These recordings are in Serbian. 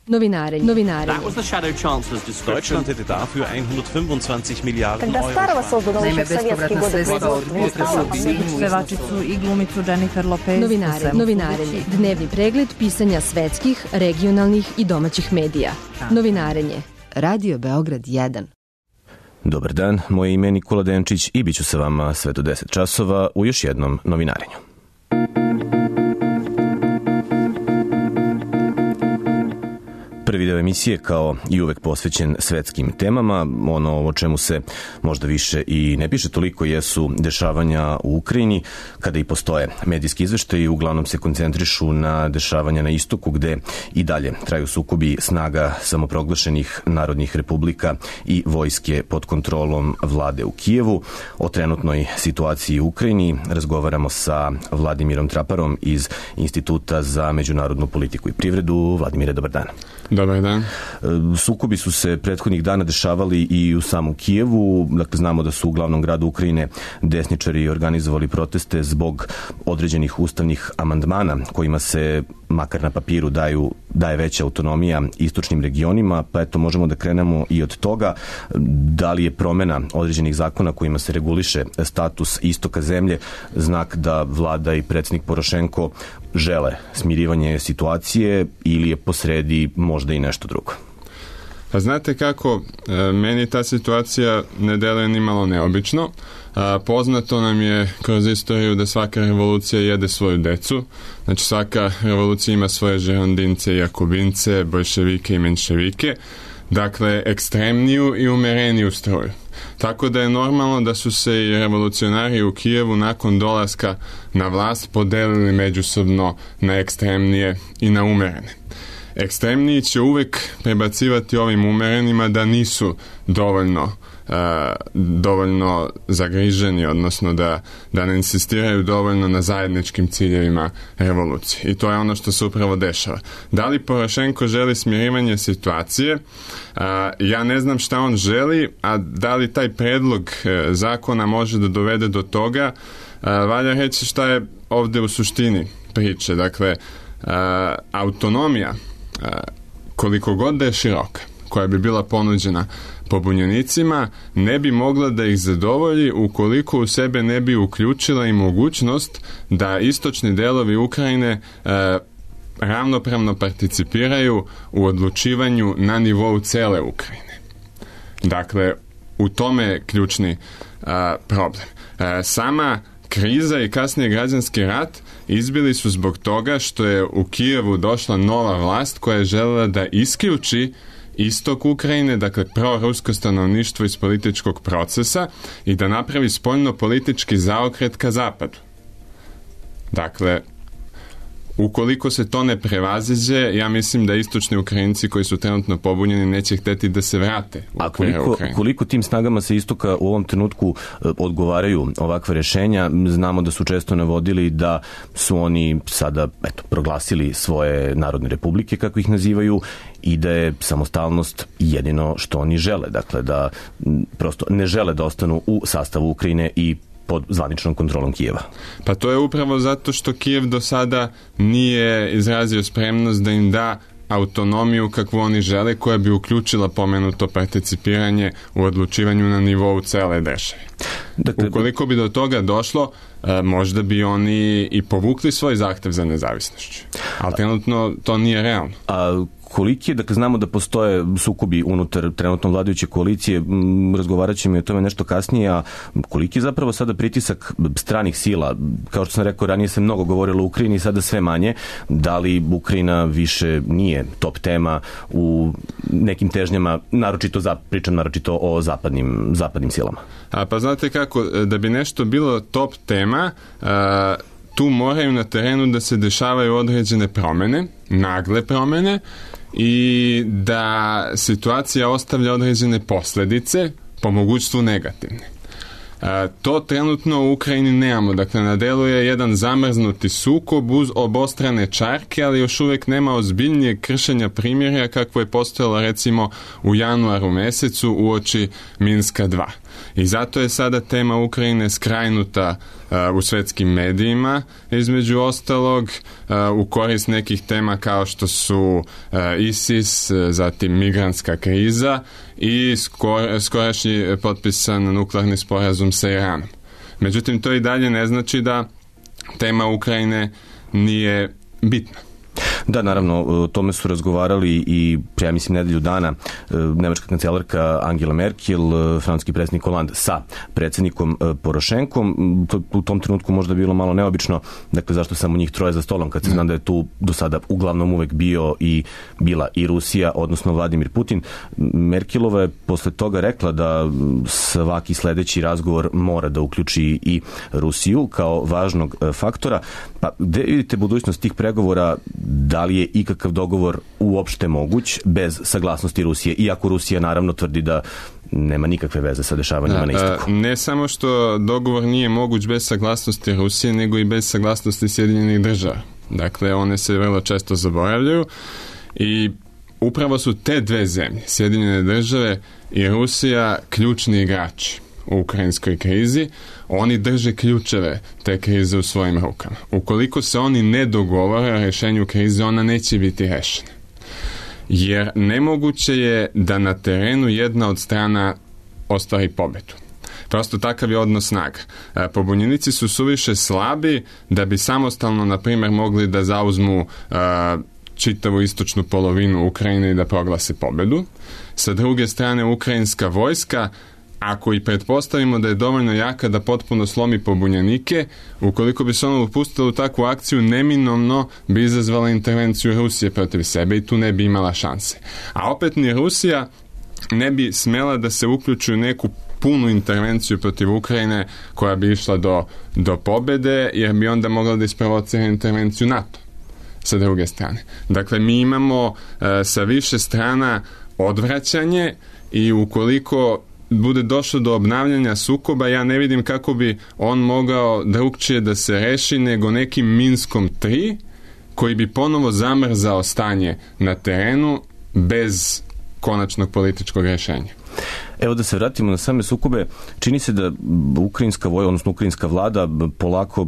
Novinarenje. That was the Shadow Chancellor's description. Deutschland hätte dafür 125 Miliarden Когда Euro. старого создано еще в советские годы pevačicu i glumicu Jennifer Lopez. Novinarenje. Dnevni pregled pisanja svetskih, regionalnih i domaćih medija. Novinarenje. Radio Beograd 1. Dobar dan, moje ime je Nikola Denčić i bit ću sa vama sve do 10 časova u još jednom novinarenju. Prvi deo emisije, kao i uvek, posvećen svetskim temama. Ono o čemu se možda više i ne piše toliko jesu dešavanja u Ukrajini, kada i postoje medijski izveštaji, uglavnom se koncentrišu na dešavanja na istoku, gde i dalje traju sukobi snaga samoproglašenih narodnih republika i vojske pod kontrolom vlade u Kijevu. O trenutnoj situaciji u Ukrajini razgovaramo sa Vladimirom Traparom iz Instituta za međunarodnu politiku i privredu. Vladimire, dobar dan. Dobar dan. Sukobi su se prethodnih dana dešavali i u samom Kijevu. Dakle, znamo da su u glavnom gradu Ukrajine desničari organizovali proteste zbog određenih ustavnih amandmana kojima se, makar na papiru, daje veća autonomija istočnim regionima, pa eto, možemo da krenemo i od toga. Da li je promena određenih zakona kojima se reguliše status istoka zemlje znak da vlada i predsjednik Porošenko žele smirivanje situacije ili je posredi možda i nešto drugo? Pa znate kako, meni ta situacija ne deluje ni malo neobično. Poznato nam je kroz istoriju da svaka revolucija jede svoju decu. Znači, svaka revolucija ima svoje žerondince i jakobince, boljševike i menševike. Dakle, ekstremniju i umereniju struju. Tako da je normalno da su se i revolucionari u Kijevu nakon dolaska na vlast podelili međusobno na ekstremnije i na umerene. Ekstremniji će uvek prebacivati ovim umerenima da nisu dovoljno zagriženi, odnosno da ne insistiraju dovoljno na zajedničkim ciljevima revolucije. I to je ono što se upravo dešava. Da li Porošenko želi smirivanje situacije? Ja ne znam šta on želi, a da li taj predlog zakona može da dovede do toga? Valja reći šta je ovde u suštini priče. Dakle, autonomija, koliko god da je široka, koja bi bila ponuđena pobunjenicima, ne bi mogla da ih zadovolji ukoliko u sebe ne bi uključila i mogućnost da istočni delovi Ukrajine ravnopravno participiraju u odlučivanju na nivou cele Ukrajine. Dakle, u tome je ključni problem. Sama kriza i kasnije građanski rat izbili su zbog toga što je u Kijevu došla nova vlast koja je želela da isključi istok Ukrajine, dakle prorusko stanovništvo iz političkog procesa i da napravi spoljno-politički zaokret ka zapadu. Dakle, ukoliko se to ne prevaziđe, ja mislim da istočni Ukrajinci koji su trenutno pobunjeni neće hteti da se vrate u okvire Ukrajine. Koliko tim snagama sa istoka u ovom trenutku odgovaraju ovakva rješenja? Znamo da su često navodili da su oni sada proglasili svoje narodne republike, kako ih nazivaju, i da je samostalnost jedino što oni žele. Dakle, da prosto ne žele da ostanu u sastavu Ukrajine i pod zvaničnom kontrolom Kijeva. Pa to je upravo zato što Kijev do sada nije izrazio spremnost da im da autonomiju kakvu oni žele, koja bi uključila pomenuto participiranje u odlučivanju na nivou cele države. Dakle, ukoliko bi do toga došlo, možda bi oni i povukli svoj zahtev za nezavisnošću. Ali trenutno to nije realno. Koliki je, dakle, znamo da postoje sukobi unutar trenutno vladajuće koalicije, razgovarat ćemo i o tome nešto kasnije, a koliki je zapravo sada pritisak stranih sila? Kao što sam rekao, ranije se mnogo govorilo o Ukrajini, sada sve manje. Da li Ukrajina više nije top tema u nekim težnjama, pričam naročito o zapadnim silama? Pa znate kako, da bi nešto bilo top tema, tu moraju na terenu da se dešavaju određene promene, nagle promene, i da situacija ostavlja određene posljedice, po mogućstvu negativne. To trenutno u Ukrajini nemamo. Dakle, na delu je jedan zamrznuti sukob uz obostrane čarke, ali još uvijek nema ozbiljnijeg kršenja primirja kakvo je postojalo recimo u januaru mesecu uoči Minska 2. I zato je sada tema Ukrajine skrajnuta u svetskim medijima, između ostalog u korist nekih tema kao što su ISIS, zatim migrantska kriza i skorašnji potpisan nuklearni sporazum sa Iranom. Međutim, to i dalje ne znači da tema Ukrajine nije bitna. Da, naravno, o tome su razgovarali i, ja mislim, nedelju dana nemačka kancelarka Angela Merkel, francuski predsjednik Hollande sa predsjednikom Porošenkom. U tom trenutku možda bilo malo neobično, dakle, zašto samo njih troje za stolom, kad se zna da je tu do sada uglavnom uvek bila i Rusija, odnosno Vladimir Putin. Merkelova je posle toga rekla da svaki sledeći razgovor mora da uključi i Rusiju kao važnog faktora. Pa, gde vidite budućnost tih pregovora? Da li je ikakav dogovor uopšte moguć bez saglasnosti Rusije, iako Rusija naravno tvrdi da nema nikakve veze sa dešavanjima na istoku? Ne samo što dogovor nije moguć bez saglasnosti Rusije, nego i bez saglasnosti Sjedinjenih država. Dakle, one se vrlo često zaboravljaju i upravo su te dve zemlje, Sjedinjene države i Rusija, ključni igrači u ukrajinskoj krizi. Oni drže ključeve te krize u svojim rukama. Ukoliko se oni ne dogovore o rješenju krize, ona neće biti rešena. Jer nemoguće je da na terenu jedna od strana ostvari pobedu. Prosto takav je odnos snaga. Pobunjenici su suviše slabi da bi samostalno, na primjer, mogli da zauzmu čitavu istočnu polovinu Ukrajine i da proglase pobedu. Sa druge strane, ukrajinska vojska, ako i pretpostavimo da je dovoljno jaka da potpuno slomi pobunjenike, ukoliko bi se ono upustilo u takvu akciju, neminovno bi izazvala intervenciju Rusije protiv sebe i tu ne bi imala šanse. A opet ni Rusija ne bi smela da se uključi u neku punu intervenciju protiv Ukrajine koja bi išla do pobede, jer bi onda mogla da isprovocira intervenciju NATO sa druge strane. Dakle, mi imamo sa više strana odvraćanje i ukoliko bude došlo do obnavljanja sukoba, ja ne vidim kako bi on mogao drugčije da se reši nego nekim Minskom 3 koji bi ponovo zamrzao stanje na terenu bez konačnog političkog rješenja. Evo da se vratimo na same sukobe. Čini se da ukrajinska vlada polako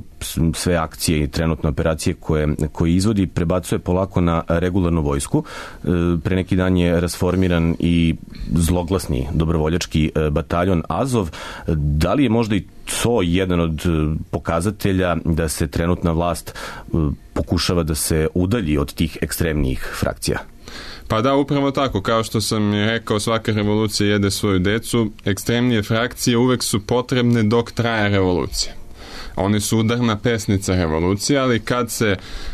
sve akcije i trenutne operacije koje izvodi prebacuje polako na regularnu vojsku. Pre neki dan je rasformiran i zloglasni dobrovoljački bataljon Azov. Da li je možda i to jedan od pokazatelja da se trenutna vlast pokušava da se udalji od tih ekstremnijih frakcija? Pa da, upravo tako. Kao što sam rekao, svaka revolucija jede svoju decu. Ekstremnije frakcije uvek su potrebne dok traje revolucija. One su udarna pesnica revolucije, ali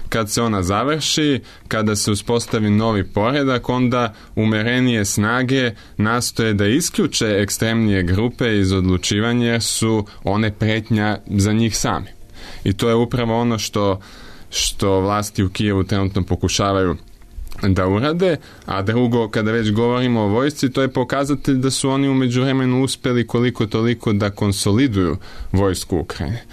kad se ona završi, kada se uspostavi novi poredak, onda umerenije snage nastoje da isključe ekstremnije grupe iz odlučivanja, jer su one pretnja za njih sami. I to je upravo ono što vlasti u Kijevu trenutno pokušavaju da urade, a drugo, kada već govorimo o vojsci, to je pokazatelj da su oni u međuvremenu uspeli koliko toliko da konsoliduju vojsku Ukrajine.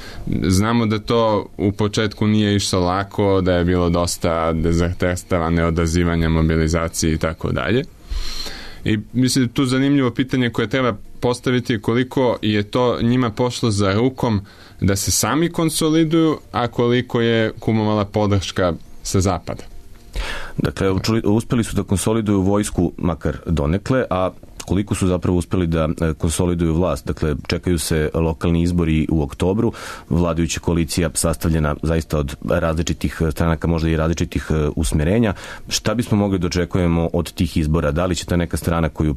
Znamo da to u početku nije išlo lako, da je bilo dosta dezerterstava, neodazivanja, mobilizacije i tako dalje. I mislim da tu zanimljivo pitanje koje treba postaviti koliko je to njima pošlo za rukom da se sami konsoliduju, a koliko je kumovala podrška sa zapada. Dakle, uspeli su da konsoliduju vojsku makar donekle, a koliko su zapravo uspeli da konsoliduju vlast? Dakle, čekaju se lokalni izbori u oktobru, vladajuća koalicija sastavljena zaista od različitih stranaka, možda i različitih usmerenja. Šta bismo mogli da očekujemo od tih izbora? Da li će ta neka strana koju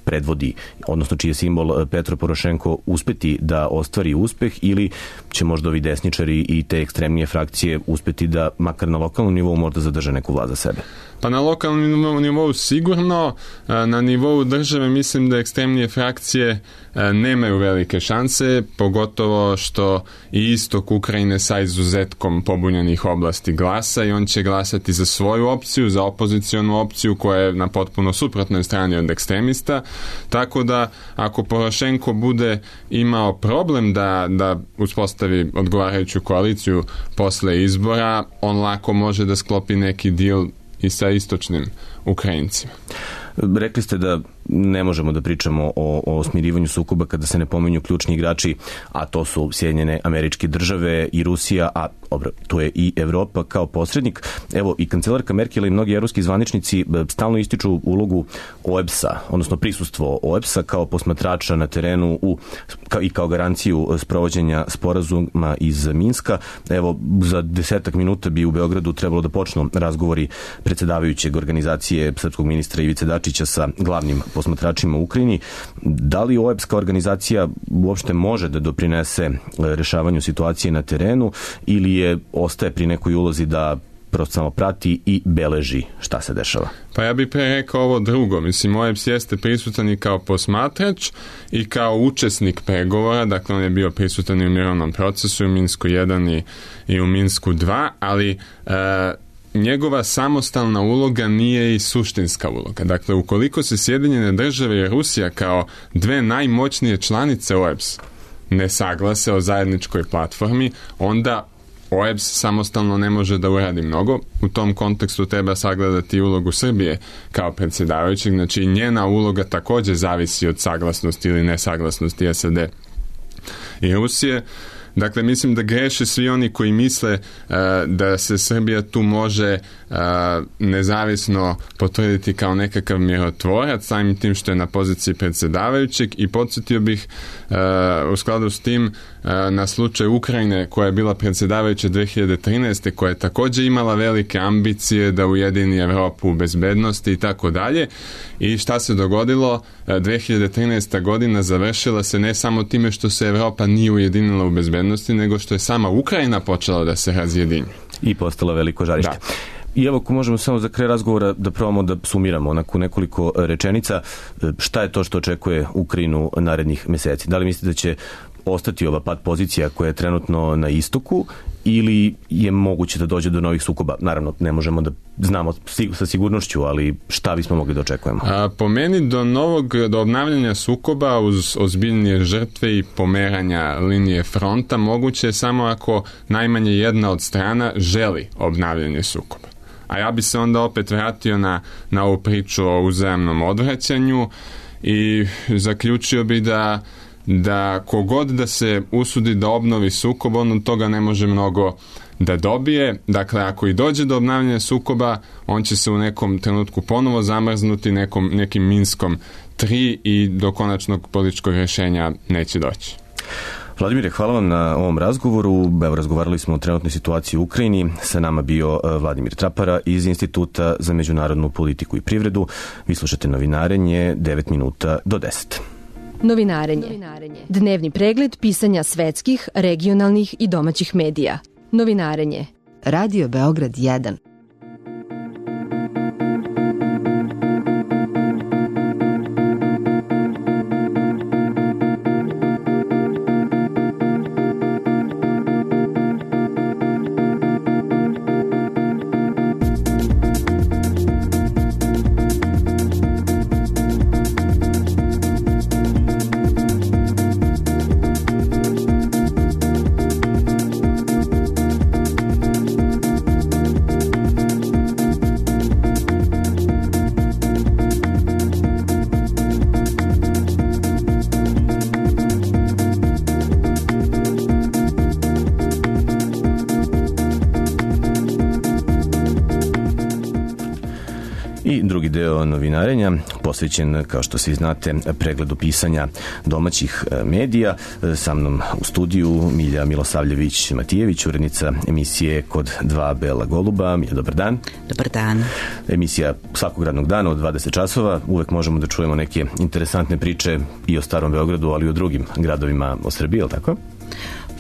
predvodi, odnosno čiji je simbol Petro Porošenko, uspeti da ostvari uspeh, ili će možda ovi desničari i te ekstremnije frakcije uspeti da makar na lokalnom nivou možda zadrže neku vlast za sebe? Pa na lokalnom nivou sigurno, na nivou države mislim da ekstremnije frakcije nemaju velike šanse, pogotovo što i istok Ukrajine sa izuzetkom pobunjenih oblasti glasa i on će glasati za svoju opciju, za opozicionu opciju koja je na potpuno suprotnoj strani od ekstremista, tako da ako Porošenko bude imao problem da uspostavi odgovarajuću koaliciju posle izbora, on lako može da sklopi neki deal i sa istočnim Ukrajincima. Rekli ste da ne možemo da pričamo o smirivanju sukoba kada se ne pominju ključni igrači, a to su Sjedinjene Američke Države i Rusija, a tu je i Evropa kao posrednik. Evo, i kancelarka Merkel i mnogi evropski zvaničnici stalno ističu ulogu OEBS-a, odnosno prisustvo OEBS-a kao posmatrača na terenu i kao garanciju sprovođenja sporazuma iz Minska. Evo, za 10 minuta bi u Beogradu trebalo da počnu razgovori predsedavajućeg organizacije srpskog ministra Ivice Dačića sa glavnim posmatračima u Ukrajini. Da li OEBS kao organizacija uopšte može da doprinese rešavanju situacije na terenu ili ostaje pri nekoj ulozi da prosto samo prati i beleži šta se dešava? Pa ja bih pre rekao ovo drugo. Mislim, OEBS jeste prisutan i kao posmatrač i kao učesnik pregovora, dakle on je bio prisutan i u mirovnom procesu, u Minsku 1 i u Minsku 2, ali njegova samostalna uloga nije i suštinska uloga. Dakle, ukoliko se Sjedinjene Države i Rusija kao dve najmoćnije članice OEBS ne saglase o zajedničkoj platformi, onda OEBS samostalno ne može da uradi mnogo. U tom kontekstu treba sagledati ulogu Srbije kao predsjedavajućeg, znači njena uloga također zavisi od saglasnosti ili nesaglasnosti SAD i Rusije. Dakle, mislim da greše svi oni koji misle da se Srbija tu može nezavisno potvrditi kao nekakav mirotvorac, samim tim što je na poziciji predsjedavajućeg, i podsjetio bih u skladu s tim na slučaj Ukrajine koja je bila predsjedavajuća 2013. koja je također imala velike ambicije da ujedini Evropu u bezbednosti i tako dalje. I šta se dogodilo? 2013. godina završila se ne samo time što se Evropa nije ujedinila u bezbednosti, nego što je sama Ukrajina počela da se razjedinjuje. I postala veliko žarište. Da. I evo, ako možemo samo za kraj razgovora da probamo da sumiramo onako nekoliko rečenica, šta je to što očekuje Ukrajinu narednih meseci? Da li mislite da će ostati ova pad pozicija koja je trenutno na istoku ili je moguće da dođe do novih sukoba? Naravno, ne možemo da znamo sa sigurnošću, ali šta bismo mogli da očekujemo? Po meni do obnavljanja sukoba uz ozbiljnije žrtve i pomeranja linije fronta moguće je samo ako najmanje jedna od strana želi obnavljanje sukoba. A ja bi se onda opet vratio na ovu priču o uzajamnom odvraćanju i zaključio bi da kogod da se usudi da obnovi sukob, on od toga ne može mnogo da dobije. Dakle, ako i dođe do obnavljanja sukoba, on će se u nekom trenutku ponovo zamrznuti nekim Minskom 3 i do konačnog političkog rješenja neće doći. Vladimire, hvala vam na ovom razgovoru. Evo, razgovarali smo o trenutnoj situaciji u Ukrajini. Sa nama bio Vladimir Trapara iz Instituta za međunarodnu politiku i privredu. Vi slušate Novinarenje, 9 minuta do 10. Novinarenje. Dnevni pregled pisanja svetskih, regionalnih i domaćih medija. Novinarenje. Radio Beograd 1. I drugi deo novinarenja posvećen, kao što svi znate, pregledu pisanja domaćih medija. Sa mnom u studiju Milja Milosavljević-Matijević, urednica emisije Kod dva bela goluba. Milja, dobar dan. Dobar dan. Emisija svakog radnog dana od 20 časova. Uvek možemo da čujemo neke interesantne priče i o Starom Beogradu, ali i o drugim gradovima o Srbiji, je li tako?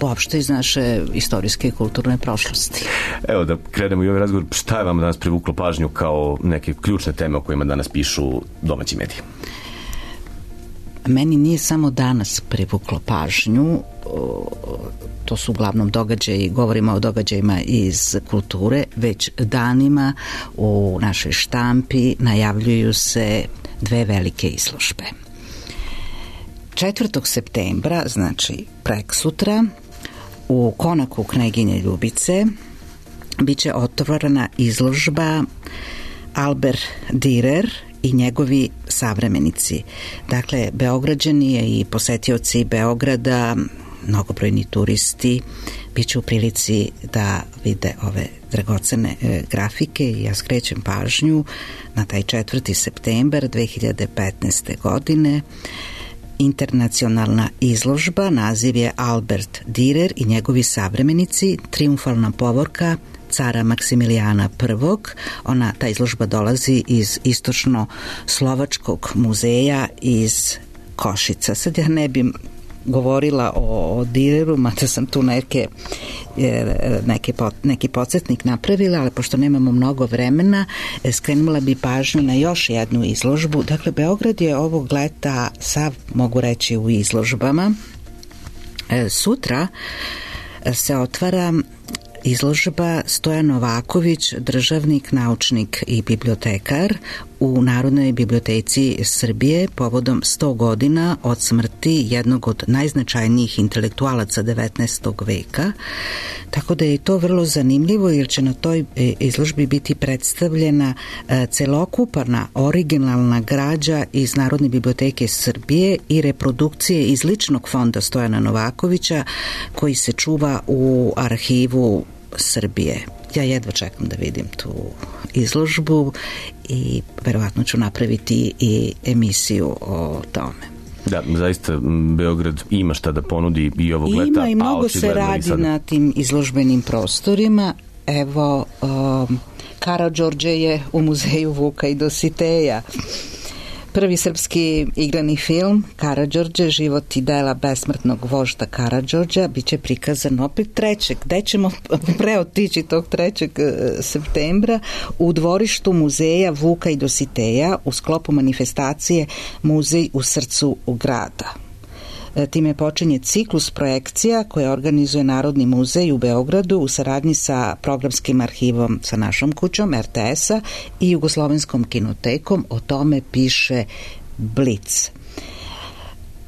Uopšte iz naše istorijske i kulturne prošlosti. Evo da krenemo i ovaj razgovor. Šta je vam danas privuklo pažnju kao neke ključne teme o kojima danas pišu domaći mediji? Meni nije samo danas privuklo pažnju, to su uglavnom događaji, govorimo o događajima iz kulture, već danima u našoj štampi najavljuju se dve velike izložbe. 4. septembra, znači preksutra, u konaku Kneginje Ljubice biće otvorena izložba Albert Dürer i njegovi savremenici. Dakle, Beograđani i posetioci Beograda, mnogobrojni turisti, bit će u prilici da vide ove dragocene grafike i ja skrećem pažnju na taj 4. septembar 2015. godine. Internacionalna izložba, naziv je Albert Dürer i njegovi savremenici, triumfalna povorka cara Maksimilijana I. Ta izložba dolazi iz istočno-slovačkog muzeja iz Košica. Sad ja ne bi govorila o Düreru, mada sam tu neki podsjetnik napravila, ali pošto nemamo mnogo vremena, skrenula bi pažnju na još jednu izložbu. Dakle, Beograd je ovog leta sav, mogu reći, u izložbama. Sutra se otvara izložba Stojan Novaković, državnik, naučnik i bibliotekar u Narodnoj biblioteci Srbije povodom 100 godina od smrti jednog od najznačajnijih intelektualaca 19. veka. Tako da je to vrlo zanimljivo jer će na toj izložbi biti predstavljena celokupna originalna građa iz Narodne biblioteke Srbije i reprodukcije iz ličnog fonda Stojana Novakovića koji se čuva u arhivu Srbije. Ja jedva čekam da vidim tu izložbu i verovatno ću napraviti i emisiju o tome. Da, zaista Beograd ima šta da ponudi i ovog leta. Ima i mnogo se radi na tim izložbenim prostorima. Evo, Karađorđe je u muzeju Vuka i Dositeja. Prvi srpski igrani film Karađorđe, život i dela besmrtnog vožda Karađorđa, bit će prikazan opet 3. Gde ćemo preotići tog 3. septembra? U dvorištu muzeja Vuka i Dositeja u sklopu manifestacije Muzej u srcu grada. Time počinje ciklus projekcija koje organizuje Narodni muzej u Beogradu u saradnji sa programskim arhivom sa našom kućom RTS-a i Jugoslovenskom kinotekom. O tome piše Blic.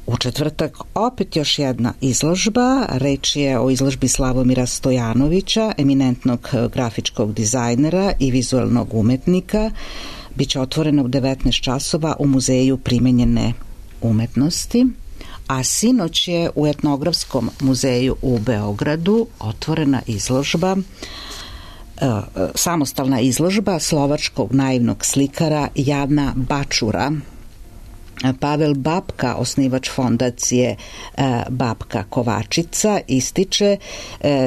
U četvrtak opet još jedna izložba. Reč je o izložbi Slavomira Stojanovića, eminentnog grafičkog dizajnera i vizualnog umetnika. Biće otvorena u 19 časova u Muzeju primenjene umetnosti. A sinoć je u Etnografskom muzeju u Beogradu otvorena izložba, samostalna izložba slovačkog naivnog slikara Jana Bačura. Pavel Babka, osnivač fondacije Babka Kovačica, ističe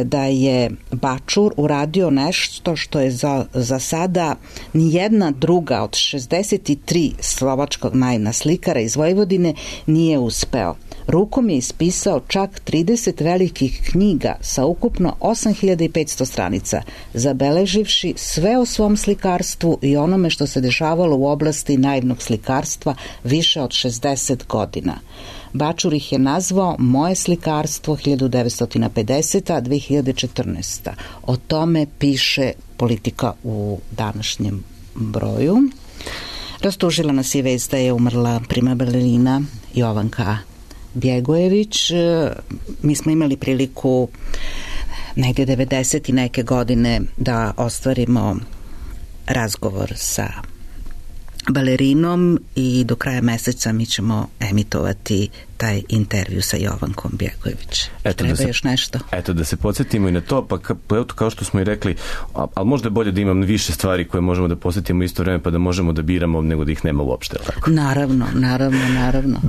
da je Bačur uradio nešto što je za sada nijedna druga od 63 slovačkog naivna slikara iz Vojvodine nije uspeo. Rukom je ispisao čak 30 velikih knjiga sa ukupno 8500 stranica, zabeleživši sve o svom slikarstvu i onome što se dešavalo u oblasti naivnog slikarstva više od 60 godina. Bačur ih je nazvao Moje slikarstvo 1950-2014. O tome piše Politika u današnjem broju. Rastužila nas je vest da je umrla prima balerina Jovanka Bjegojević. Mi smo imali priliku negdje 90 i neke godine da ostvarimo razgovor sa balerinom i do kraja meseca mi ćemo emitovati taj intervju sa Jovankom Bjegojević. Treba još nešto? Eto, da se podsjetimo i na to, pa kao što smo i rekli, ali možda je bolje da imam više stvari koje možemo da posjetimo isto vreme, pa da možemo da biramo nego da ih nema uopšte. Tako? Naravno. Naravno,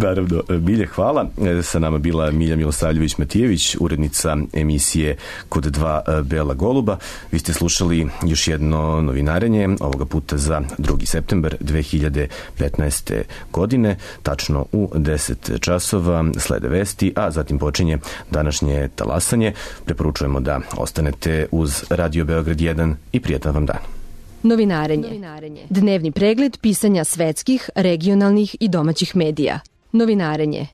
Milje, hvala. Sa nama bila Milja Milosavljević-Matijević, urednica emisije Kod dva bela goluba. Vi ste slušali još jedno novinarenje, ovoga puta za 2. septembar 2015. godine, tačno u 10 časova slede vesti, a zatim počinje današnje talasanje. Preporučujemo da ostanete uz Radio Beograd 1 i prijetan vam dan. Novinarenje. Dnevni pregled pisanja svetskih, regionalnih i domaćih medija. Novinarenje.